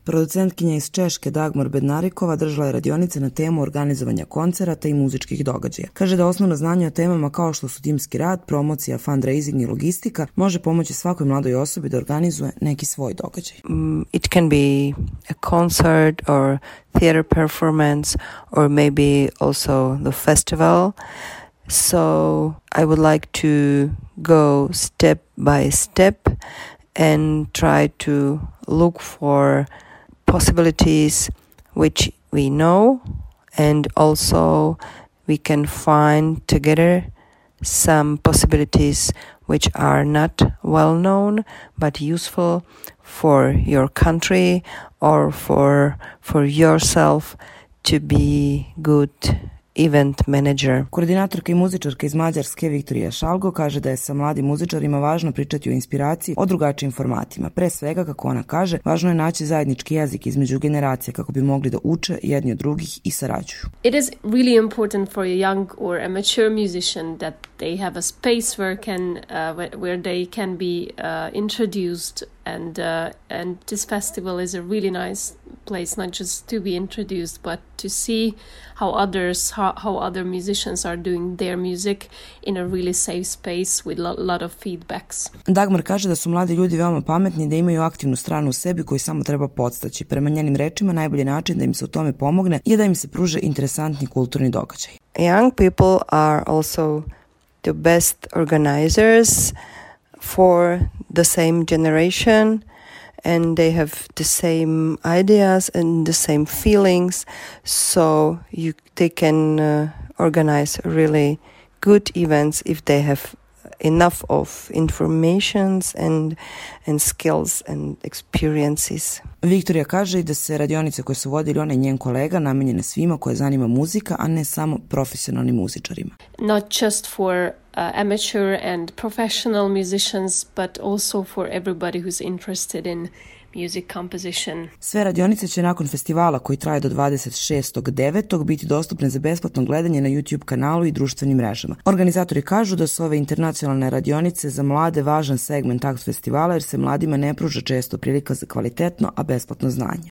Producentkinja iz Češke Dagmar Bednarikova držala je radionice na temu organizovanja koncerata i muzičkih događaja. Kaže da osnovno znanje o temama kao što su timski rad, promocija, fundraising i logistika može pomoći svakoj mladoj osobi da organizuje neki svoj događaj. It can be a concert or theater performance or maybe also the festival. So I would like to go step by step and try to look for possibilities which we know, and also we can find together some possibilities which are not well known but useful for your country or for yourself to be good event manager. Koordinatorka i muzičarka iz Mađarske Viktorija Šalgo kaže da je sa mladim muzičarima važno pričati o inspiraciji, o drugačijim formatima. Pre svega, kako ona kaže, važno je naći zajednički jezik između generacija kako bi mogli da uče jedni od drugih i sarađuju. It is really important for a young or amateur musician that they have a space where they can be introduced, and this festival is a really nice place not just to be introduced but to see how other musicians are doing their music in a really safe space with a lot of feedbacks. Dagmar kaže da su mladi ljudi veoma pametni i da imaju aktivnu stranu u sebi koju samo treba podstaći. Prema njenim rečima, najbolji način da im se u tome pomogne je da im se pruže interesantni kulturni događaj. Young people are also the best organizers for the same generation, and they have the same ideas and the same feelings, so they can organize really good events if they have enough of informations and skills and experiences. Viktorija kaže i da se radionice koje su vodili ona i njen kolega namenjene svima koje zanima muzika, a ne samo profesionalnim muzičarima. Not just for amateur and professional musicians, but also for everybody who's interested in music composition. Sve radionice će nakon festivala koji traje do 26.9. biti dostupne za besplatno gledanje na YouTube kanalu i društvenim mrežama. Organizatori kažu da su ove internacionalne radionice za mlade važan segment takvog festivala jer se mladima ne pruža često prilika za kvalitetno, a besplatno znanje.